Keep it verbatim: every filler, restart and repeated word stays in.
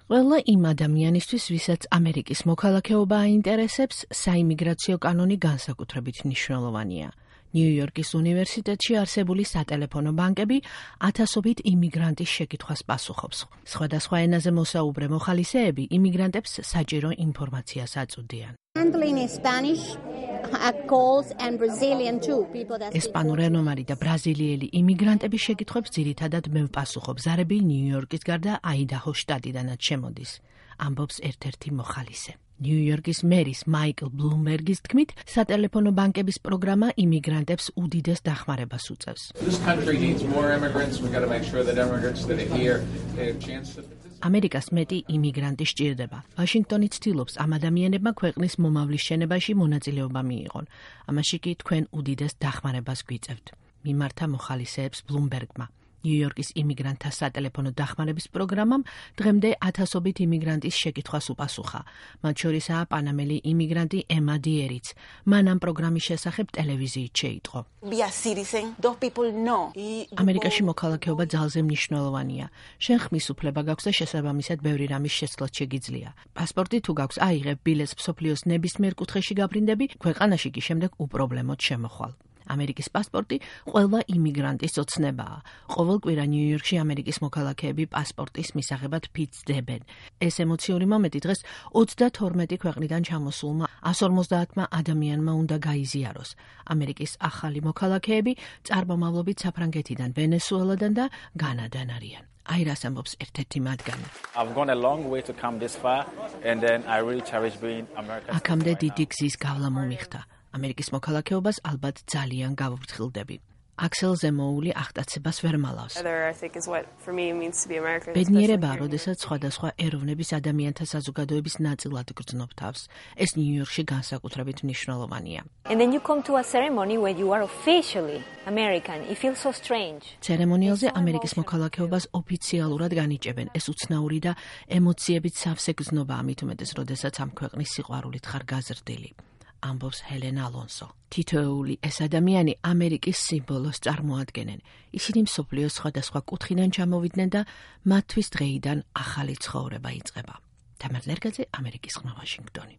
ყველა იმ ადამიანისთვის, ვისაც ამერიკის მოქალაქეობა აინტერესებს, საიმიგრაციო კანონი განსაკუთრებით მნიშვნელოვანია. ნიუ-იორკის უნივერსიტეტში არსებული სატელეფონო ბანკები ათასობით იმიგრანტის შეკითხვას პასუხობს. სხვადასხვა ენაზე მოსაუბრე მოხალისეები იმიგრანტებს საჭირო ინფორმაციას აწვდიან. ესპანურენომარი და ბრაზილიელი იმიგრანტების შეკითხვებს ძირითადად მე ვპასუხობ. ზარები ნიუ-იორკის გარდა აიდაჰოს შტატიდანაც შემოდის, ამბობს ერთ-ერთი მოხალისე. ნიუ-იორკის მერის მაიკლ ბლუმბერგის თქმით, სატელეფონო ბანკების პროგრამა იმიგრანტებს უდიდეს დახმარებას უწევს. ამერიკას მეტი იმიგრანტი სჭირდება. ვაშინგტონი ცდილობს ამ ადამიანებმა ქვეყნის მომავლის შენებაში მონაწილეობა მიიღონ. ამაში კი თქვენ უდიდეს დახმარებას გვიწევთ. მიმართა მოხალისეებს ბლუმბერგმა. ნიუ-იორკის იმიგრანტთა სატელეფონო დახმარების პროგრამამ დღემდე ათასობით იმიგრანტის შეკითხვას უპასუხა. მათ შორისაა პანამელი იმიგრანტი ემა დიერიც. მან ამ პროგრამის შესახებ ტელევიზიით შეიტყო. ამერიკაში მოქალაქეობა ძალზე მნიშვნელოვანია. შენ ხმის უფლება გაქვს და შესაბამისად ბევრი რამის შეცვლაც შეგიძლია. პასპორტი თუ გაქვს, აიღებ ბილეთს მსოფლიოს ნებისმიერ კუთხეში გაბრინდები, ქვეყანაში კი შემდეგ უპრობლემოდ შემოხვალ. ამერიკის პასპორტი ყველა იმიგრანტის ოცნებაა. ყოველ კვირა ნიუ-იორკში ამერიკის მოქალაქეები პასპორტის მისაღებად ფიცდებენ. ეს ემოციური მომენტი დღეს ოცდათორმეტი ქვეყნიდან ჩამოსულმა εκατს ორმოცდაათმა ადამიანმა უნდა გაიზიაროს. ამერიკის ახალი მოქალაქეები წარმომავლობით საფრანგეთიდან, ვენესუელადან და განადან არიან. აირას ამბობს ერთ-ერთი მათგანი. აქამდე დიდი გზის გავლა მომიხდა. ამერიკის მოქალაქეობას ალბათ ძალიან გავუფრთხილდები. აქსელ ზემოული აღტაცებას ვერ მალავს. ბედნიერებაა, როდესაც სხვადასხვა ეროვნების ადამიანთა საზოგადოების ნაწილად გრძნობ თავს. ეს ნიუ-იორკში განსაკუთრებით მნიშვნელოვანია. ცერემონიალზე ამერიკის მოქალაქეობას ოფიციალურად განიჭებენ. ეს უცნაური და ემოციებით სავსე გზნობაა, მით უმეტეს, როდესაც ამ ქვეყნის სიყვარულით ხარ გაზრდილი. ამბობს ჰელენა ალონსო. თითოეული ეს ადამიანი ამერიკის სიმბოლოს წარმოადგენენ. ისინი მსოფლიოს სხვადასხვა კუთხიდან ჩამოვიდნენ და მათთვის დღეიდან ახალი ცხოვრება იწყება. თამარ ლერგაძე, ამერიკის ხმა, ვაშინგტონი.